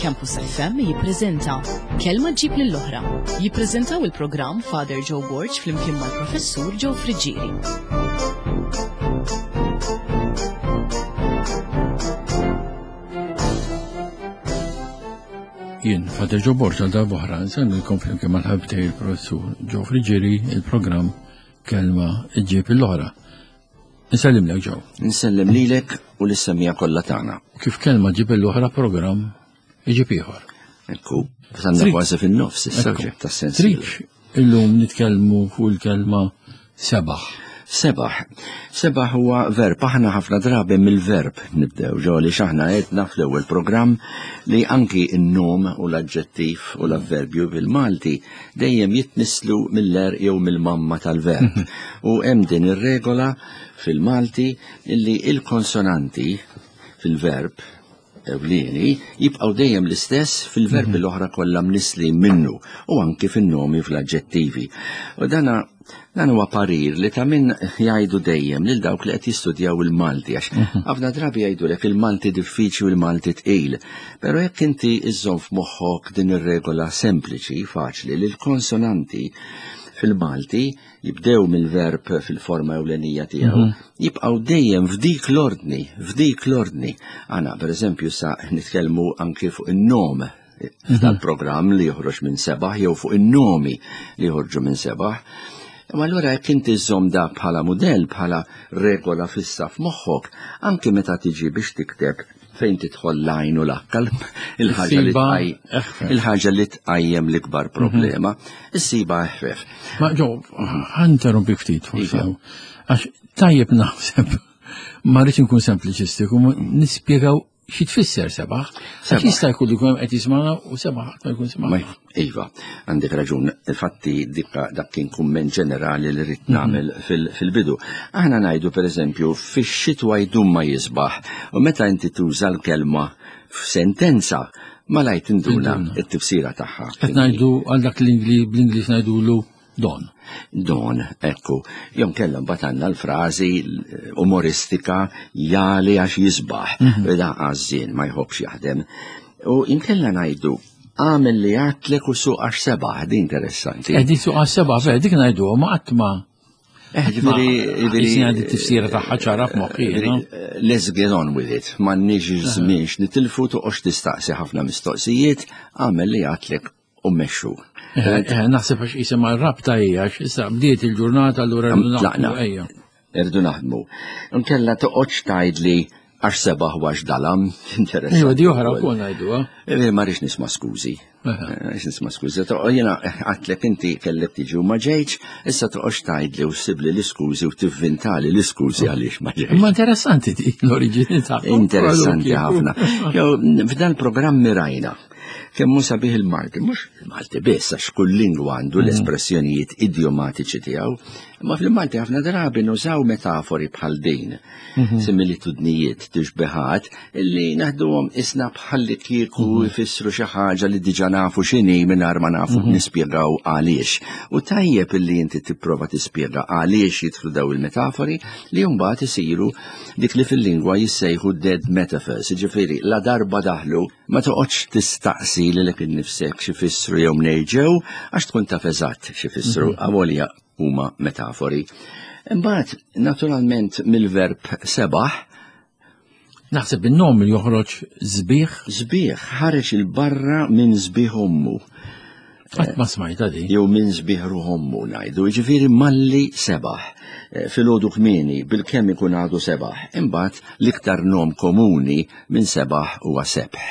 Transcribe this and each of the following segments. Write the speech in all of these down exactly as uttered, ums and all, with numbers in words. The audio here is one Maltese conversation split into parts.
Campus F M jippreżenta Kelma ġib lill-oħra. Jippreżentaw il-programm Father Joe Borg flimkien mal-Professur Joe Friggieri. Jien, Father Joe Borg, għal darb'oħra nsellmilkom flimkien mal-ħabib tiegħi il-Professur Joe Friggieri il-programm Kelma ġib l-oħra. Nsellimlek Joe. Nsellem lilek u lis-semija kollha tagħna. Kif kelma ġib l-oħra programm iġib ieħor. Ekku, sanna kważi fin-nofs is-suġġett tas-sens. Trid illum nitkellmu fuq il-kelma sebaħ. Sebaħ. Sebaħ huwa verb. Aħna ħafna drabi mill-verb nibdew ġo li x'aħna għedna fl-ewwel programm li anki n-nom u l-aġġettiv u l-avverbju bil-Malti dejjem jitnislu mill-er jew mill-mamma tal-verb. U hemm din ir-regola fil-Malti illi il-konsonanti fil-verb ewlieni jibqgħu dejjem l-istess fil-verbi l-oħra kollha mnisli minnu u anki fin-nomi fl-aġġettivi. U dana dan huwa parir li ta' min jgħidu dejjem lil dawk li qed jistudjaw il-Malti għax ħafna drabi jgħidulek il-Malti diffiċli u l-Malti tqil. Però jekk inti iżżomm f'moħħok din ir-regola sempliċi, faċli, li l-konsonanti fil-Malti jibdew mill-verb fil-forma ewlenija tiegħu, jibqgħu dejjem f'dik l-ordni, f'dik l-ordni. Aħna pereżempju sa nitkellmu anki fuq in-nom tal-programm li joħroġ minn sebaħ jew fuq in-nomi li joħorġu minn sebaħ. Imma allura jekk inti żżomm da bħala mudell, bħala regola fissa f'moħħok, anki meta tiġi biex tikteb fejn tidħol l-għajn u l-akkal, il-ħaġa li tqaj-, il-ħaġa li tqajjem l-ikbar problema, issiba eħfef. Ma ġo, ħanterrompi ftit forsi, għax tajjeb naħseb, ma rridx inkun sempliċistiku, nispjegaw xi tfisser sebaħ? Għax jista' jkun li jkun hemm qed jismagħna u sebaħ ħadd ma jkun sema'. Iva, għandek raġun, infatti dikka dak kien kumment ġenerali li rrid nagħmel fil-bidu. Aħna ngħidu pereżempju fix-xitwa jdum ma jisbaħ u meta inti tuża l-kelma f'sentenza malajr tinduna t-tifsira tagħha. Qed ngħidu għal dak l-Ingliż bl-Ingliż ngħidulu don. Don, ekku. Jom kellha mbagħad għandna l-frażi umoristika jali għax jisbaħ. Da għażżien ma jħobbx jaħdem. U inkella ngħidu għamel li għatlek u suq għax sebaħ, di interessanti. Eh, di suq għax sebaħ, vera, dik ngħidu, ma qatt ma Eh, ġifieri, ġifieri, Jisni għandi t-tifsira tagħha ċara f'moħħi, ġifieri, no? Let's get on with it. M'għandniex żmien nitilfu toqgħodx tistaqsi ħafna mistoqsijiet, għamel li għatlek u mmexxu. Eh, eh, naħseb għax jisimha r-rabta hija, għax issa bdiet il-ġurnata allura rridu naħdmu, Tlaqna. ejja. Irridu naħdmu. Inkella toqgħodx tgħidli għax sebaħ u għax dalam, interessanti. Ejwa, di oħra wkoll ngħidu, eh? Eh, ma rridx nisma' skużi. Rridx nisma' skużi. Toqgħod jiena għadtlek inti kellek tiġi u ma ġejtx, issa toqgħodx tgħidli u ssibli l-iskużi u tivvintali l-iskużi għaliex ma ġejtx. Imma interessanti di l-oriġini tagħha. Interessanti ħafna. Jew f'dan il-programm mirajna kemm hu sabiħ il-Malti, mhux il-Malti biss, għax kull lingwa għandu l-espressjonijiet idiomatiċi tiegħu, imma fil-Malti ħafna drabi nużaw metafori bħal din, similitudnijiet, tixbihat, illi naħduhom isna bħalli kieku jfissru xi ħaġa li diġà nafu x'inhi mingħajr ma nafu nispjegaw għaliex. U tajjeb illi inti tipprova tispjega għaliex jidħlu daw il-metafori li mbagħad isiru dik li fil-lingwa jissejħu dead metaphors, jiġifieri la darba daħlu ma toqgħodx tistaqsi lilek innifsek xi fissru jew mnejn ġew għax tkun taf eżatt xi fissru avolja huma metafori. Imbagħad naturalment mill-verb sebaħ Naħseb in-nom li joħroġ żbieħ. Żbieħ ħareġ il-barra minn żbieħ ommu. Qatt ma smajta di. Jew minn żbieħ ruħ ommu ngħidu, jiġifieri malli sebaħ. Eh, filgħodu kmieni bilkemm ikun għadu sebaħ. Imbagħad l-iktar nom komuni minn sebaħ huwa sebħ.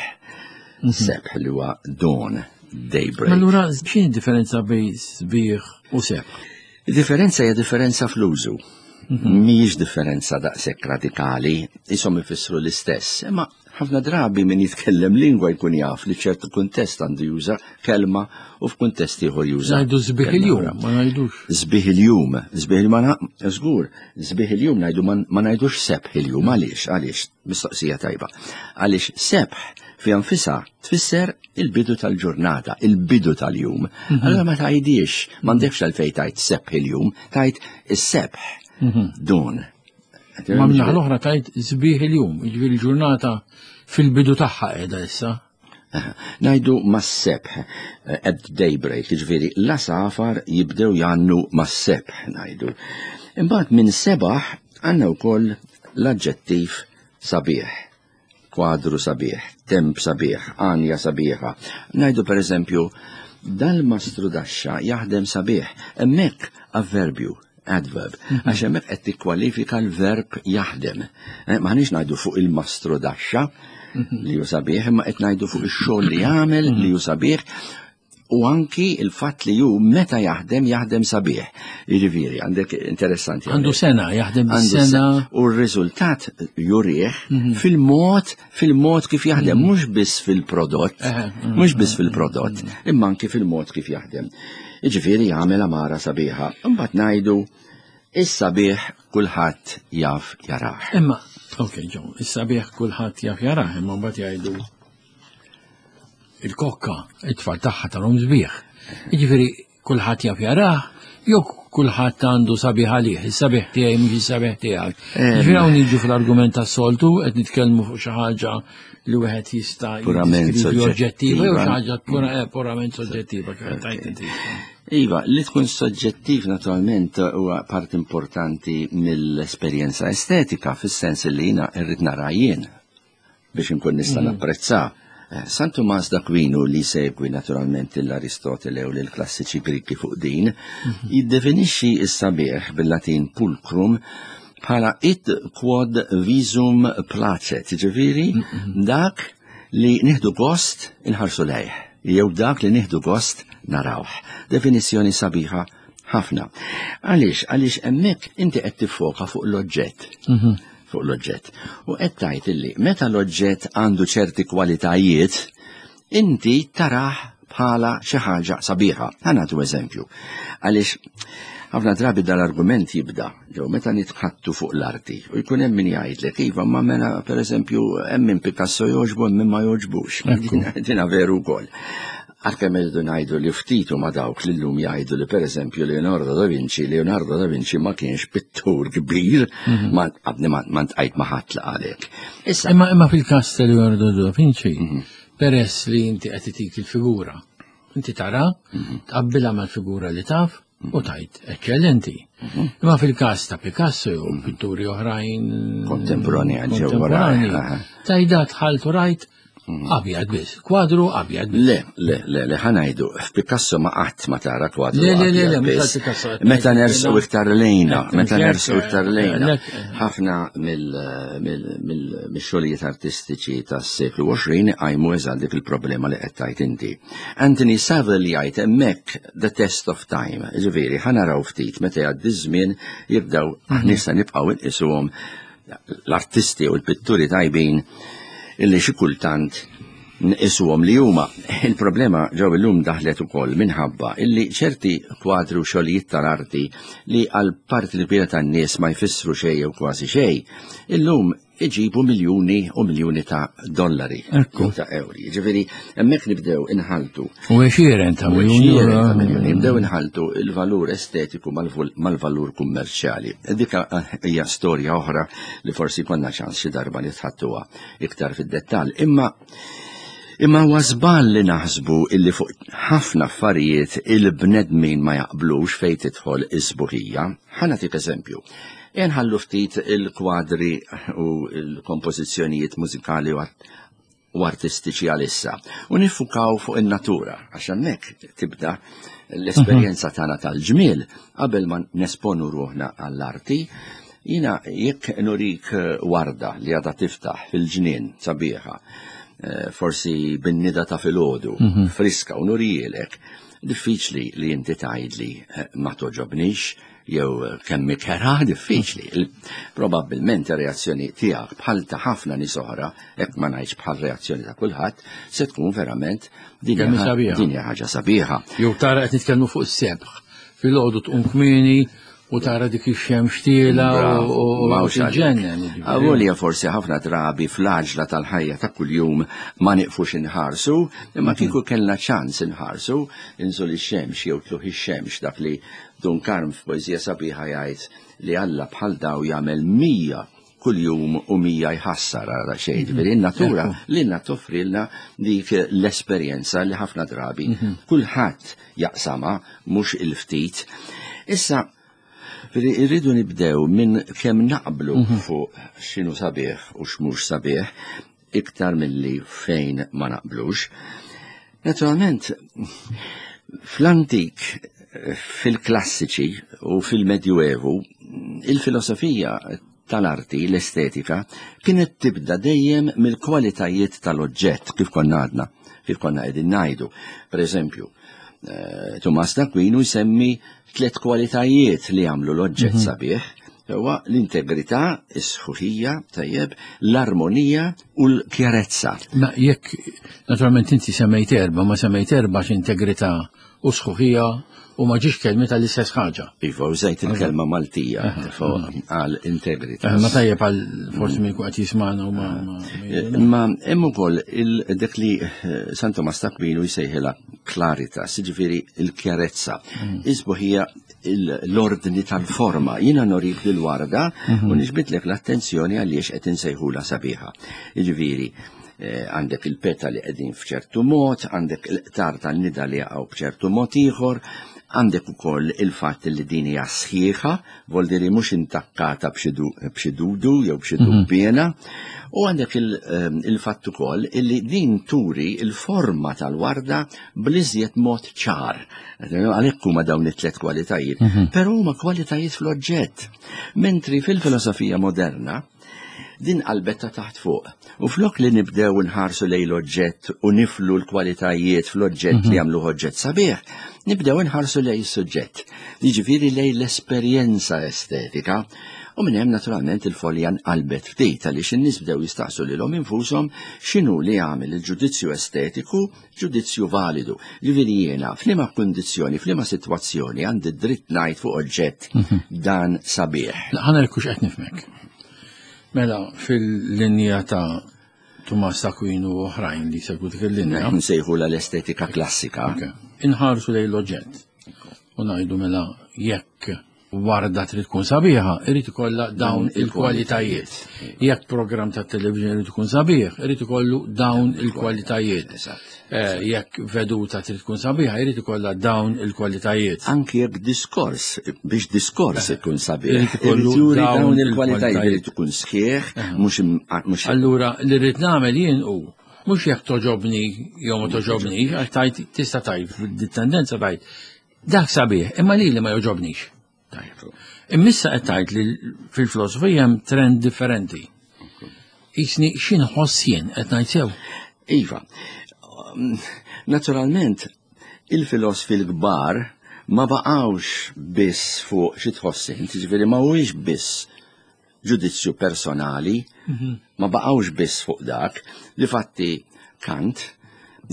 Sebħ li huwa dawn, daybreak. Ma allura x'inhi d-differenza bejn żbieħ u sebħ? Differenza hija differenza fl-użu. Mhijiex differenza daqshekk radikali, ishom ifissru l-istess, imma ħafna drabi min jitkellem lingwa jkun jaf li ċertu kuntest għandu juża kelma u f'kuntest ieħor juża. Ngħidu żbieħ kelma il-jum, oħra. ma ngħidux. Żbieħ il-jum, żbieħ il-ma na-, żgur, żbieħ il-jum ngħidu ma-, ma ngħidux sebħ il-jum, għaliex, għaliex, mistoqsija tajba. Għaliex sebħ fi anfisha tfisser il-bidu tal-ġurnata, il-bidu tal-jum. Allura ma tgħidix, m'għandekx għalfejn tgħid sebħ il-jum, tgħid is-sebħ. Dun. Ma minnaħa l-oħra tajt żbieħ il-jum, jiġifieri ġurnata fil-bidu tagħha qiegħda issa. Ngħidu mas-sebħ, at daybreak, jiġifieri l-għasafar jibdew jgħannu mas-sebħ ngħidu. Imbagħad minn sebaħ għandna wkoll l-aġġettiv sabiħ, kwadru sabiħ, temp sabiħ, għanja sabiħa. Ngħidu per eżempju, dal-mastru daxxa jaħdem sabiħ, hemmhekk avverbju, adverb, għax hemmhekk qed tikkwalifika l-verb jaħdem. M'aħniex ngħidu fuq il-mastru daxxa li hu sabiħ, imma qed ngħidu fuq ix-xogħol li jagħmel li hu sabiħ, u anki il-fatt li hu meta jaħdem jaħdem sabiħ. Jiġifieri għandek interessanti. Għandu sena, jaħdem bis-sena. U r-riżultat jurih fil-mod fil-mod kif jaħdem, mhux biss fil-prodott, mhux biss fil-prodott, imma anki fil-mod kif jaħdem. Jiġifieri jagħmel amara sabiħa. Imbagħad ngħidu is-sabiħ kulħadd jaf jarah. Imma, ok, Joe, is-sabiħ kulħadd jaf jarah, imma mbagħad jgħidu il-kokka, it-tfal tagħha tarhom sbieħ. Jiġifieri kulħadd jaf jarah, jew kulħadd għandu sabiħ għalih, is-sabiħ tiegħi mhux is-sabiħ tiegħek. Jiġifieri hawn niġu fl-argument tas-soltu qed nitkellmu fuq xi ħaġa li wieħed jista' Purament jiddeskrivi oġġettiva jew xi soġġettiva. ħaġa purament soġġettiva kif qed tgħid inti. Iva, li tkun soġġettiv naturalment huwa part importanti mill-esperjenza estetika, fis-sens li jiena rrid nara jien biex inkun nista' napprezza. San Tumas d'Aquino, li segwi naturalment l-Aristotele u l-klassiċi Griki fuq din, jiddefinixxi s-sabiħ bil-Latin pulchrum bħala id quod visum placet, ġifieri dak li nieħdu gost inħarsu lejh, jew dak li nieħdu gost narawh. Definizzjoni sabiħa ħafna. Għaliex? Għaliex hemmhekk inti qed tiffoka fuq l-oġġett. Fuq l-oġġett. U qed tgħid illi meta l-oġġett għandu ċerti kwalitajiet, inti tarah bħala xi ħaġa sabiħa. Ħa nagħtu eżempju. Għaliex ħafna drabi dal-argument jibda, ġew meta nitħattu fuq l-arti, u jkun hemm min jgħidlek, iva, ma mela pereżempju hemm min Picasso jogħġbu, hemm min ma jogħġbux. Dina veru wkoll. Għalkemm irridu ngħidu li ftit huma dawk li llum jgħidu li pereżempju Leonardo da Vinci, Leonardo da Vinci ma kienx pittur kbir, ma għadni ma ntqajt ma ħadd għalek. Issa Imma imma fil-każ ta' Leonardo da Vinci, peress li inti qed itik il-figura, inti tara, tqabbilha mal-figura li taf u tajt eċċellenti. Imma fil-każ ta' Picasso jew pitturi oħrajn Kontemporani ġew wara, kontemporani, tajda dħalt u rajt abjad biss, kwadru abjad biss. Le, le, le, le, ħa ngħidu, f'Picasso ma qatt ma tara kwadru. Le, le, le, le, abjad mhux biss. għal Picasso, qed Meta ngħid, nersu le. iktar lejna, Qed meta ngħid, nersu iktar lejna. le, Ħafna mill-xogħlijiet artistiċi tas-seklu għoxrin għajmu eżatt dik il-problema li qed tgħid inti. Anthony Saville jgħid hemmhekk the test of time, ġifieri ħa naraw ftit meta jgħaddi ż-żmien jibdew nista' nibqgħu nqisuhom l-artisti u l-pitturi tajbin illi xi kultant nqisuhom li huma. Il-problema ġew illum daħlet ukoll minħabba illi ċerti kwadri u xogħlijiet tal-arti li għal parti l-kbira tan-nies ma jfissru xejn jew kważi xejn, illum iġibu miljuni u miljuni ta' dollari Ekku. jew ta' ewri. Ġifieri hemmhekk nibdew inħaltu U għexieren ta' U miljuni. għexieren ta' miljuni. Nibdew inħaltu il-valur estetiku mal-vul- mal-valur kummerċjali. Dika eh, hija storja oħra li forsi konna ċans xi darba nitħattuha iktar fid-dettall. Imma Imma huwa żball li naħsbu illi fuq ħafna affarijiet il-bnedmin ma jaqblux fejn tidħol is-sbuħija. Ħa nagħtik eżempju. Inħallu ftit il-kwadri u l-kompożizzjonijiet mużikali u art- u artistiċi għalissa. U nifukaw fuq in-natura, għax hemmhekk tibda l-esperjenza tagħna tal-ġmiel qabel ma nesponu ruħna għall-arti. Jina jekk nurik warda li għadha tiftaħ fil-ġnien sabiħa, eh, forsi bin-nida ta' filgħodu, friska u nurijielek, diffiċli li inti tgħidli eh, ma toġobnix jew kemm ikera, diffiċli. Il- Probabbilment ir-reazzjoni tiegħek bħal ta' ħafna nies oħra, hekk ma ngħidx bħal reazzjoni ta' kulħadd, se tkun verament din Kemm hija- sabiħa. din hija ħaġa sabiħa. Jew tara qed nitkellmu fuq is-sebħ. Filgħodu tqum kmieni u tara dik ix-xemx tiela Bravo, u mawx għalik. tiġġennen. jiġifieri. Avolja forsi ħafna drabi fl-għaġla tal-ħajja ta' kuljum ma niqfux inħarsu, imma kieku kellna ċans inħarsu, inżul ix-xemx jew tluħ ix-xemx, dak li Dun Karm f'poeżija sabiħa jgħid li Alla bħal daw jagħmel mija kuljum u mija jħassar għal xejn. Ġifieri in-natura lilna toffrilna dik l-esperjenza li ħafna drabi kulħadd jaqsama, mhux il-ftit. Issa, irridu nibdew minn kemm naqblu fuq x'inhu sabiħ u x'mhux sabiħ, iktar milli fejn ma naqblux. Naturalment, fl-antik, fil-klassiċi u fil-Medjuevu, il-filosofija tal-arti, l-estetika, kienet tibda dejjem mill-kwalitajiet tal-oġġett, kif konna għadna, kif konna qegħdin ngħidu. Per eżempju, Tumas d'Aquino jsemmi tliet kwalitajiet li jagħmlu l-oġġett sabiħ. Huwa l-integrità, is-sħuħija, tajjeb, l-armonija u l-kjarezza. Ma jekk, naturalment inti semmejt erba, ma semmejt erba x'integrità u sħuħija u ma ġiex kelmi tal-istess ħaġa. Iva, użajt il-kelma Maltija għal integrità. Ma tajjeb għal forsi minn qed jismana u ma. Ma hemm ukoll dak li San Tomas d'Aquino jsejħilha claritas, jiġifieri l-kjarezza. Isbuħija l-ordni tal-forma. Jiena norik lil-warda u niġbidlek l-attenzjoni għaliex qed insejħula sabiħa. Jiġifieri, għandek il-petali qegħdin f'ċertu mod, għandek il-qtar tan-nida li jaqgħu b'ċertu mod ieħor, għandek ukoll il-fatt li din hija sħiħa, vuol dire mhux intakkata b'xi dudu jew b'xi dubbiena, u għandek il-fatt ukoll illi din turi il-forma tal-warda bl-iżjed mod ċar. Għalhekk huma dawn it-tliet kwalitajiet, però huma kwalitajiet fl-oġġett. Mentri fil-filosofija moderna din qalbetta taħt fuq. U flok li nibdew nħarsu lejn l-oġġett u niflu l-kwalitajiet fl-oġġett li jagħmlu oġġett sabiħ, nibdew nħarsu lejn is-suġġett. Jiġifieri lejn l-esperjenza estetika. U minn hemm naturalment il-folja nqalbet ftit għaliex in-nies bdew jistaqsu lilhom infushom x'inhu li jagħmel il-ġudizzju estetiku ġudizzju validu. Jiġifieri jiena f'liema kundizzjoni, f'liema sitwazzjoni għandi dritt ngħid fuq oġġett dan sabiħ. Ħa nara hux qed nifhmek. Mela, fil-linja ta' Tumas d'Aquino u oħrajn li segwu dik il-linja. Nsejħu l-estetika klassika. Inħarsu lejn l-oġġett. U ngħidu mela jekk warda trid tkun sabiħa, irid ikollha dawn il-kwalitajiet. Jekk programm ta' television irid ikun sabiħ, irid ikollu dawn il-kwalitajiet. Jekk veduta trid tkun sabiħa, irid ikollha dawn il-kwalitajiet. Anki jekk diskors, biex diskors ikun sabiħ, irid ikollu dawn il-kwalitajiet, irid ikun sħiħ, mhux. Allura li rrid nagħmel jien hu mhux jekk toġobni jew ma toġobni, għax tajt tista' tajt tendenza tajt dak sabiħ, imma li li ma joġobnix. Immissa qed tgħid li fil-filosofija hemm trend differenti. Isni x'inħoss jien qed ngħid sew. Iva, naturalment il-filosfi l-kbar ma baqgħux biss fuq xi tħoss int, jiġifieri ma huwiex biss ġudizzju personali, ma baqgħux biss fuq dak, li fatti Kant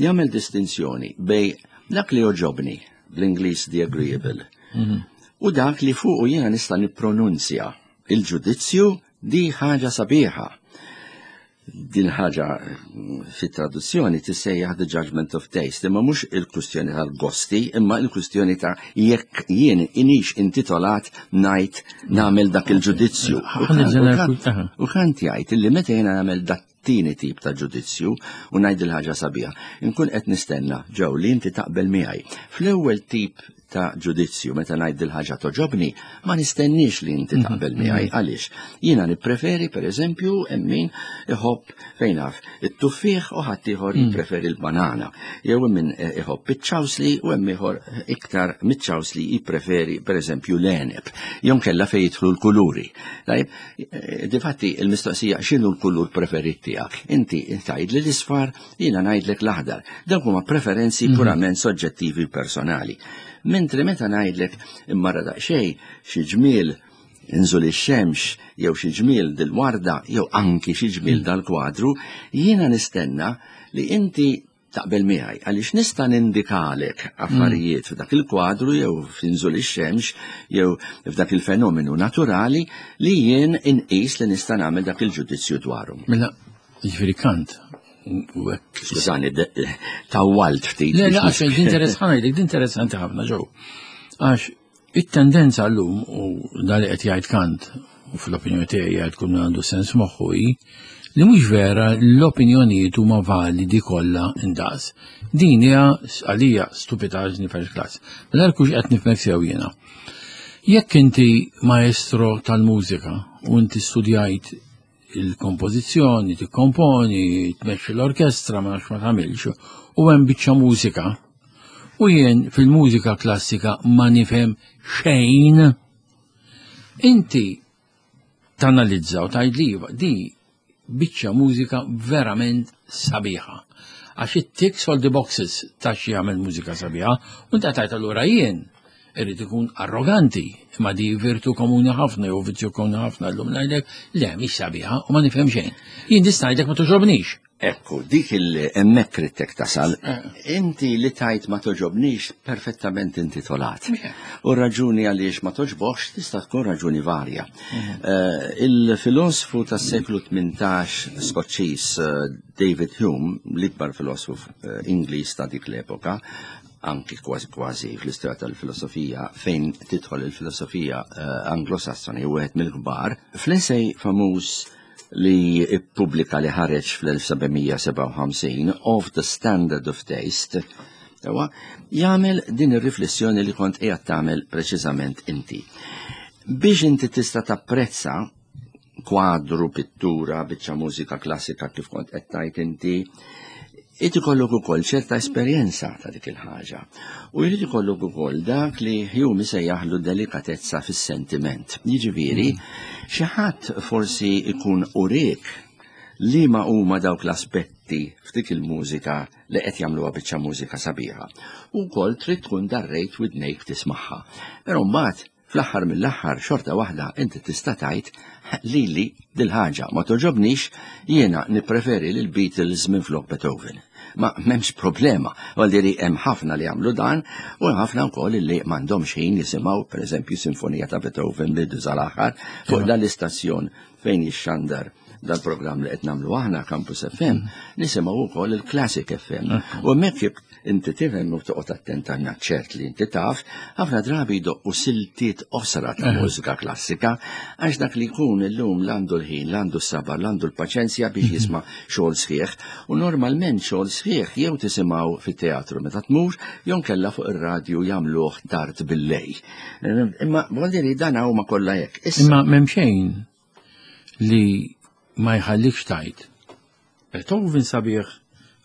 jagħmel distinzjoni bej dak li joġobni, bl-Ingliż the agreeable, u dak li fuqu jiena nista' nippronunzja il-ġudizzju di ħaġa sabiħa. Din ħaġa fit-traduzzjoni tissejjaħ the judgment of taste, imma mhux il-kwistjoni tal-gosti, imma il-kwistjoni ta' jekk jien inix intitolat ngħid nagħmel dak il-ġudizzju. U Kant jgħid illi meta jiena nagħmel dak tieni tip ta' ġudizzju u ngħid il-ħaġa sabiħa, inkun qed nistenna ġew li inti taqbel miegħi. Fl-ewwel tip ta' ġudizzju meta ngħid il-ħaġa toġobni, ma nistenniex li inti taqbel miegħi. Għaliex? Jiena nippreferi pereżempju hemm min iħobb fejn naf it-tuffieħ u ħadd ieħor jippreferi l-banana. Jew min iħobb iċ-ċawsli u hemm ieħor iktar miċ-ċawsli jippreferi pereżempju l-għeneb. Jew kellha fejn jidħlu l-kuluri. Tajjeb, difatti il-mistoqsija x'inhu l-kulur preferit tiegħek? Inti tgħid li l-isfar, jiena ngħidlek l-aħdar. Dawk huma preferenzi purament soġġettivi personali. Mentri meta ngħidlek imma daqsxejn xi ġmiel inżul ix-xemx jew xi ġmiel dil-warda jew anki xi ġmiel dal-kwadru, jiena nistenna li inti taqbel miegħi għaliex nista' nindikalek affarijiet f'dak il-kwadru jew f'inżul ix-xemx jew f'dak il-fenomenu naturali li jien inqis li nista' nagħmel dak il-ġudizzju dwaru. Mela, jiġifieri Kant Skużani, tawwalt ftit. Le, le, għax din interessanti ħafna ġew. Għax it-tendenza llum u dali qed jgħid Kant u fl-opinjoni tiegħi jgħid kull min għandu sens moħħu hi, li mhux vera l-opinjonijiet huma validi kollha indaqs. Din hija għalija stupidaġni first class. Mela kux qed nifhmek sew jiena. Jekk inti maestro tal-mużika u inti studjajt il-kompożizzjoni, tikkomponi, tmexxi l-orkestra, ma nafx ma tagħmilx, u hemm biċċa mużika, u jien fil-mużika klassika ma nifhem xejn, inti tanalizza u tgħid li iva, di biċċa mużika verament sabiħa. Għax it ticks all the boxes ta' xi jagħmel mużika sabiħa, u inti tgħid allura jien irrid ikun arroganti, imma di virtu komuni ħafna jew vizzju komuni ħafna llum ngħidlek le mhix sabiħa u ma nifhem xejn. Jien nista' ngħidlek ma toġobnix. Ekku, dik il-hemmhekk ridtek tasal, inti li tajt ma toġobnix perfettament intitolat. U raġuni għaliex ma toġbokx tista' tkun raġuni varja. Eh, Il-filosfu tas-seklu tmintax Skoċċiż eh, David Hume, l-ikbar filosofu eh, Ingliż ta' dik l-epoka, anki kważi kważi fl-istorja tal-filosofija, fejn tidħol il-filosofija eh, anglosassoni u wieħed mill-kbar, fl-essay famuż li ippubblika li ħareġ fl-elf seba' mija sebgħa u ħamsin, Of the Standard of Taste, Ewa, jagħmel din ir-riflessjoni li kont qiegħed tagħmel preċiżament inti. Biex inti tista' tapprezza kwadru, pittura, biċċa mużika klassika kif kont qed tgħid inti, irid ikollok ukoll ċerta esperjenza ta' dik il-ħaġa. U jrid ikollok ukoll dak li Hume sejjaħlu delikatezza fis-sentiment. Jiġifieri, xi ħadd forsi ikun urik li ma huma dawk l-aspetti f'dik il-mużika li qed jagħmluha biċċa mużika sabiħa. U wkoll trid tkun darrejt widnejk tismagħha. Però mbagħad fl-aħħar mill-aħħar xorta waħda inti tista' tgħid lili dil-ħaġa ma toġobnix, jiena nippreferi lil Beatles minn flok Beethoven. Ma m'hemmx problema, għal hemm ħafna li jagħmlu dan u hemm ħafna wkoll li m'għandhomx ħin jisimgħu, pereżempju, sinfonija ta' Beethoven bidu sal-aħħar fuq dan l-istazzjon fejn jixxandar dal-programm li qed nagħmlu aħna, Campus F M, nisimgħu wkoll il-Classic F M. U hemmhekk jekk inti tifhem u toqgħod attent għandna ċert li inti taf, ħafna drabi jdoqqu siltiet qosra ta' mużika klassika għax dak li jkun illum l-għandu l-ħin, l-għandu s-sabar, l-għandu l-paċenzja biex jisma' xogħol sħiħ. U normalment xogħol sħiħ jew tisimgħu fit-teatru meta tmur, jew kella fuq ir-radju jagħmluh tard bil-lejl. Imma vuol dan huma kollha hekk. Issa Imma m'hemm xejn li ma jħallikx tajt Beethoven sabiħ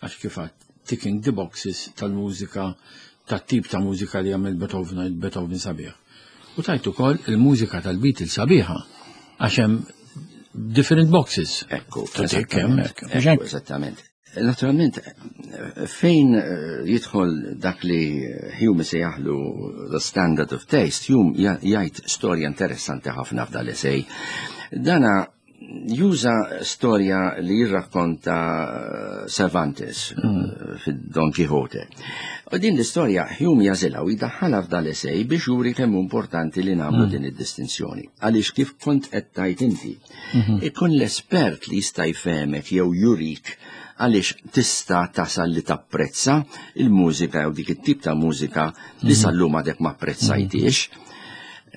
għax kif għedt ticking the boxes tal-mużika, tat-tip ta' mużika li jagħmel Beethoven, għid Beethoven sabiħ. U tajt ukoll il-mużika tal-Beatles sabiħa għax hemm different boxes. Ekku, To tick hemm hekk. Mhux Ekku, hekk? Eżattament. Naturalment, fejn eh, jidħol dak li Hume sejjaħlu The Standard of Taste, Hume ja- jgħid storja interessanti ħafna f'dal-essay. Dana juża storja li jirrakkonta eh, Cervantes mm. fid-Don Quixote. U din l-istorja Hume jażilha u jdaħħalha f'dal-essay biex juri kemm hu importanti li nagħmlu din id-distinzjoni. Għaliex kif kont qed tgħid inti, ikun l-espert li jista' jfehmek jew jurik għaliex tista' tasal li tapprezza il-mużika jew dik it-tip ta' mużika li sal-lum għadek ma apprezzajtiex.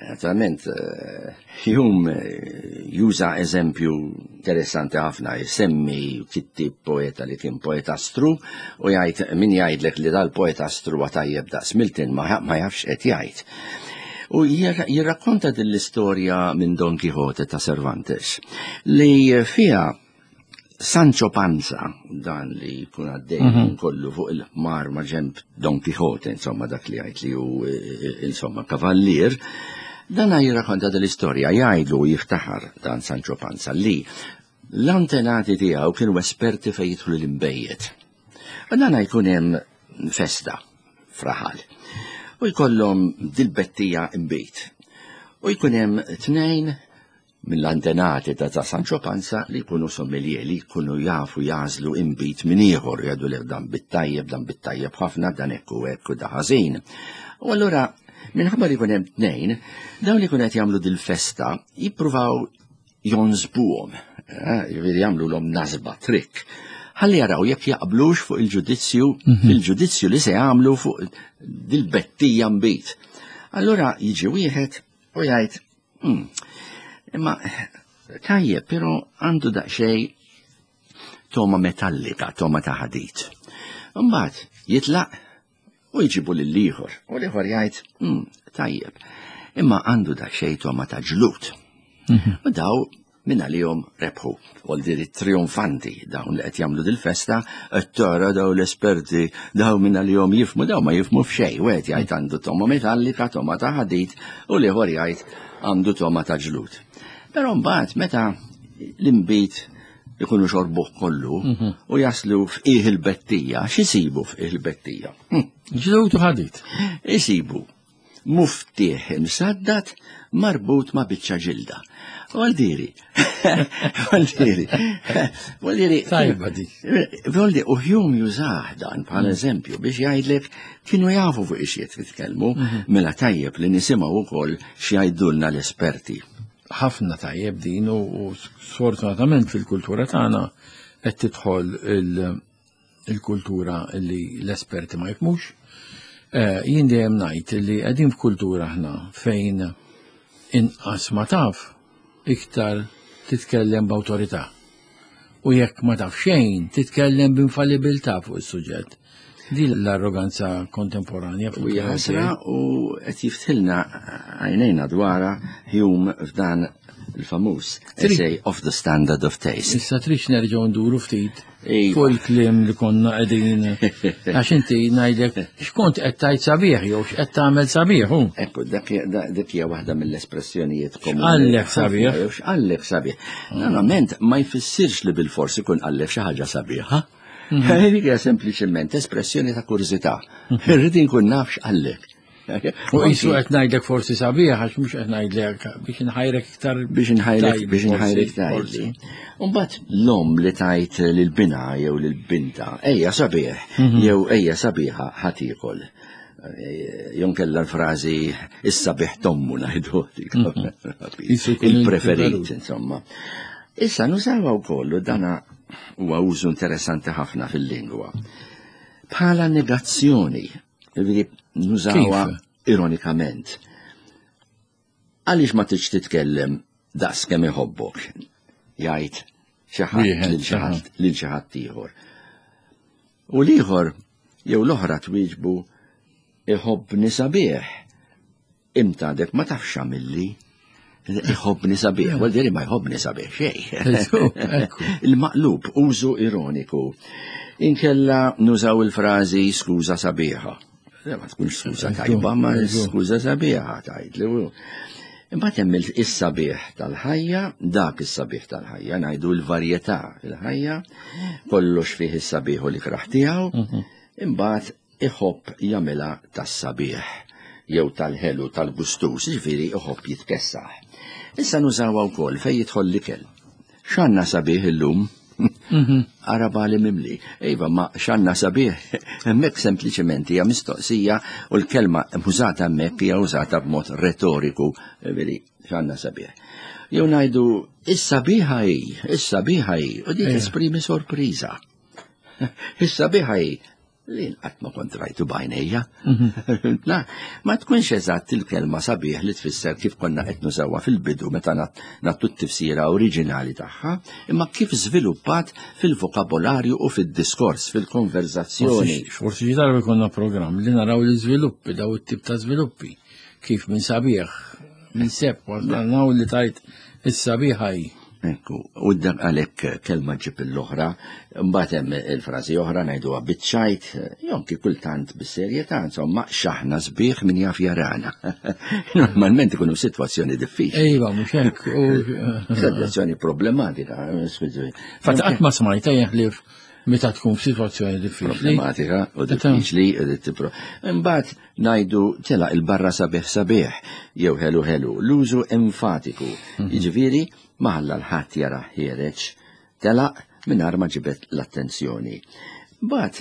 Naturalment, eh, Hume eh, juża eżempju interessanti ħafna, jsemmi kittib poeta li kien poetastru u jgħid min jgħidlek li dal-poetastru huwa tajjeb daqs Milton ma ma jafx qed jgħid. U jirra- jirrakkonta din l-istorja minn Don Quixote ta' Cervantes li fiha Sancho Panza, dan li jkun għaddej mm kollu fuq il-ħmar ma' ġemb Don Quixote, insomma dak li jgħid li hu eh, insomma kavallier, dan jirrakkonta din l-istorja, jgħidlu jiftaħar dan Sancho Panza li l-antenati tiegħu kienu esperti fejn jidħlu l-inbejjed. U dan jkun hemm festa f'raħal. U jkollhom dil-bettija imbejt. U jkun hemm tnejn mill-antenati ta' ta' Sancho Panza li jkunu sommelier, li jkunu jafu jagħżlu imbit minn ieħor, jgħidu li dan bit-tajjeb, dan bit-tajjeb ħafna, dan hekk u hekk u da ħażin. U allura minħabba li jkun hemm tnejn, dawn li jkunu qed jagħmlu dil-festa jippruvaw jonsbuhom, eh, jiġifieri jagħmlu lhom nasba, trick. Ħalli jaraw jekk jaqblux fuq il-ġudizzju, fil-ġudizzju li se jagħmlu fuq dil-bettija mbit. Allura jiġi wieħed u jgħid, "Hmm, Imma tajjeb, però għandu daqsxejn toma metallika, toma ta' ħadid. Imbagħad jitlaq u jġibu lill-ieħor, u l-ieħor jgħid, "Mm, tajjeb, imma għandu daqsxejn toma ta' ġlud." U daw minn għalihom rebħu. Vuol trionfanti dawn li qed jagħmlu dil-festa, qed tara daw l-esperti, daw minn għalihom jifhmu, daw ma jifhmu f'xejn. Wieħed jgħid għandu toma metallika, toma ta' ħadid, u l-ieħor jgħid għandu toma ta' ġlud. Però mbagħad meta l-inbid ikunu xorbuh kollu u jaslu f'qiegħ il-bettija, x'isibu f'qiegħ il-bettija? Hm. Ġlud u ħadid. Isibu muftieħ imsaddad marbut ma' biċċa ġilda. Vuol vuol vuol Tajba dik. Vuol u Hume jużah dan bħala eżempju biex jgħidlek kienu jafu fuq ix jitkellmu, mela tajjeb li nisimgħu wkoll x'jgħidulna l-esperti. Ħafna tajjeb din u sfortunatament fil-kultura tagħna qed tidħol il-kultura li l-esperti ma jifhmux. Jien dejjem ngħid li qegħdin f'kultura aħna fejn inqas ma taf iktar titkellem b'awtorità. U jekk ma taf xejn titkellem b'infallibilità fuq is-suġġett. Din l-arroganza kontemporanja. U ħasra u qed jiftħilna għajnejna dwarha Hume f'dan il-famuż Essay of the Standard of Taste. Issa trix nerġgħu nduru ftit fuq il-kliem li konna qegħdin għax inti ngħidlek x'kont qed tgħid sabiħ jew x'qed tagħmel sabiħ hu. Ekku, dak hija waħda mill-espressjonijiet komuni. X'qallek sabiħ? X'qallek sabiħ. Normalment ma jfissirx li bil-fors ikun qallek xi ħaġa sabiħa. Dik hija sempliċement espressjoni ta' kurżità. Irrid inkun naf x'qallek. U qisu qed ngħidlek forsi sabiħ għax mhux qed ngħidlek biex inħajrek iktar biex inħajrek biex inħajrek tgħidli. Imbagħad l-omm li tajt lil binha jew lil binta, ejja sabiħ jew ejja sabiħa ħa tiekol. Jon kella l-frażi issa biħ tommu ngħidu il-preferit insomma. Issa nużawha wkoll u dana huwa użu interessanti ħafna fil-lingwa. Bħala negazzjoni, jiġifieri nużawha ironikament. Għaliex ma tridx titkellem daqs kemm iħobbok? Jgħid xi ħadd lil xi ħadd lil xi ħadd ieħor. U l-ieħor jew l-oħra twieġbu iħobbni sabiħ. Imta għadek ma tafx x'għamilli. Iħobbni sabiħ, vuol dire ma jħobbni sabiħ xejn. Il-maqlub, użu ironiku. Inkella nużaw il-frażi skuża sabiħa. Ma tkunx skuża tajba, ma skuża sabiħa tgħidli. Imbagħad hemm is-sabiħ tal-ħajja, dak is-sabiħ tal-ħajja, ngħidu l-varjetà fil-ħajja, kollox fih is-sabiħ u l-ikraħ tiegħu, imbagħad iħobb jagħmilha tas-sabiħ jew tal-ħelu tal-gustus, jiġifieri iħobb jitkessaħ. Issa nużawha wkoll fejn jidħol l-ikel. X'għandna sabiħ illum? Araba li mimli. Iva, ma x'għandna sabiħ, hemmhekk sempliċement hija mistoqsija u l-kelma użata hemmhekk hija użata b'mod retoriku, veri, x'għandna sabiħ. Jew ngħidu is-sabiħa hi, is-sabiħa hi, u dik esprimi sorpriża. Is-sabiħa hi, li qatt ma kont rajtu b'għajnejja. La, ma tkunx eżatt il-kelma sabiħ li tfisser kif konna qed nużawha fil-bidu meta nagħtu t-tifsira oriġinali tagħha, imma kif żviluppat fil-vokabolarju u fid-diskors, fil-konverzazzjoni. Forsi xi darba jkollna programm li naraw l-iżviluppi, daw it-tip ta' żviluppi, kif minn sabiħ, minn sepp, naraw li tajt is-sabiħa hi. Ekku, u dan għalhekk kelma ġib l-oħra, mbagħad hemm il-frażi oħra ngħiduha biċ-ċajt, jonki kultant bis-serjetà, insomma, x'aħna sbieħ min jaf jarana. Normalment ikunu sitwazzjoni diffiċli. Iva, mhux hekk. Sitwazzjoni problematika. Fatt qatt ma smajta jeħlif meta tkun f'sitwazzjoni diffiċli. Problematika u diffiċli. Imbagħad ngħidu telaq il-barra sabiħ sabiħ jew ħelu ħelu, l-użu enfatiku. Jiġifieri ma ħalla l-ħadd jara ħiereġ, telaq mingħajr ma ġibet l-attenzjoni. Mbagħad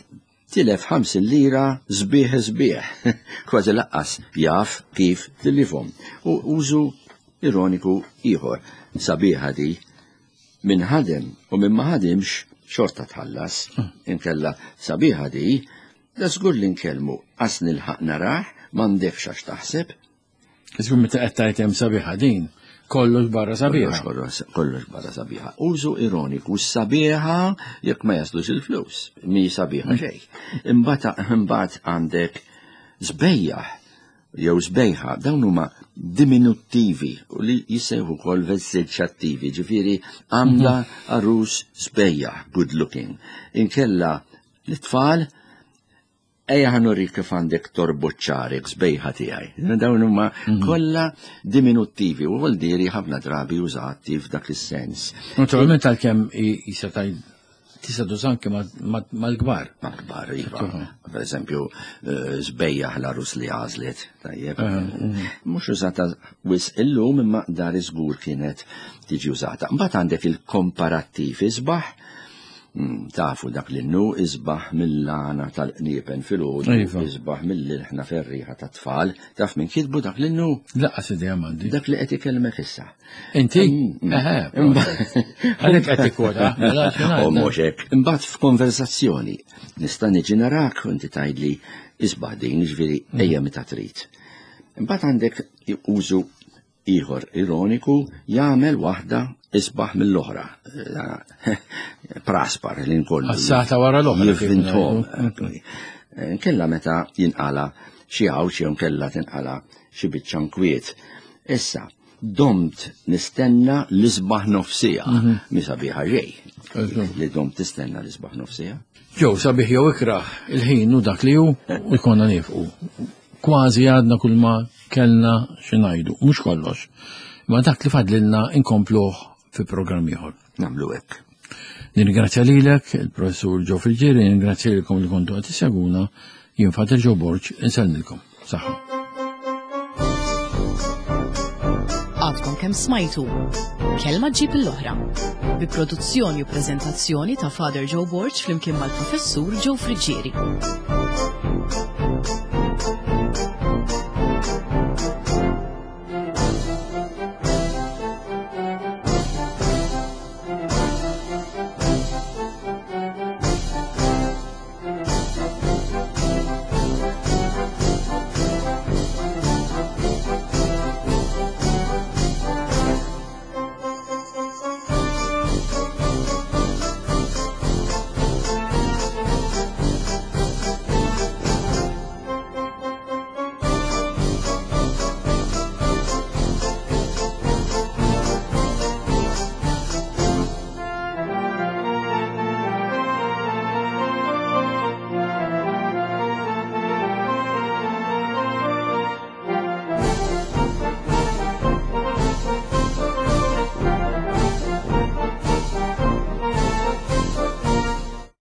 tilef ħamsin lira sbieħ sbieħ, kważi laqqas jaf kif tilifhom. U użu ironiku ieħor, sabiħa di, min ħadem u min ma ħadimx xorta tħallas, inkella sabiħa di, da żgur li nkellmu qas nilħaq narah, m'għandekx għax taħseb. Żgur meta qed tgħid hemm sabiħa din, Kollox barra sabiħa. Kollox, kollox barra sabiħa. Użu ironiku, sabiħa jekk ma jaslux il-flus, mi sabiħa xejn. Imbagħad imbagħad għandek żbejjaħ jew żbejħa, dawn huma diminuttivi u li jissejħu wkoll vessiċattivi, ġifieri għandha għarus żbejjaħ, good looking. Inkella l-tfal ejja ħa nurik kif għandek torbot xagħrek żbejħa tiegħi. Dawn huma kollha diminuttivi u vuldiri ħafna drabi użati f'dak is-sens. Naturalment għalkemm jista' tista' tuża anke mal-kbar. Mal-kbar, iva. Per eżempju, żbejjaħ l-għarus li għażlet, tajjeb. Mhux użata wisq illum imma dar iżgur kienet tiġi użata. Mbagħad għandek il-komparattiv isbaħ, tafu dak li nu isbaħ mill-għana tal-qniepen fil-ħodu, isbaħ mill-ilħna ferriħa ta' tfal, taf minn kitbu dak li nu? Laqqas idea m'għandi. Dak li qed ikellmek issa. Inti? Eħe. Għalhekk qed tikkwota. U mhux hekk. Imbagħad f'konversazzjoni nista' niġi narak u inti tgħidli isbaħ din, jiġifieri ejja meta trid. Imbagħad għandek użu ieħor ironiku jagħmel waħda isbaħ mill-oħra. Praspar li nkollu. Assata wara l-oħra. Jivvintom. Nkella meta jinqala xi għawx jew nkella tinqala xi biċċa nkwiet. Issa, domt nistenna l-isbaħ nofsija. Mi sabiħa ġej. Li domt tistenna l-isbaħ nofsija. Ġew sabiħ jew ikraħ il-ħin u dak li hu u jkollna nifqu. Kważi għadna kull ma kellna xi ngħidu, mhux kollox. Ma dak li fadlilna inkompluh fi programm ieħor. Nagħmlu hekk. Nirringrazzja lilek, il-professur Joe Friggieri, nirringrazzja lilkom li kontu qed tissegwuna, jien Father Joe Borg, insellmilkom. Saħħa. Għadkom kemm smajtu Kelma ġib l-oħra bi produzzjoni u preżentazzjoni ta' Father Joe Borg flimkien mal-professur Joe Friggieri.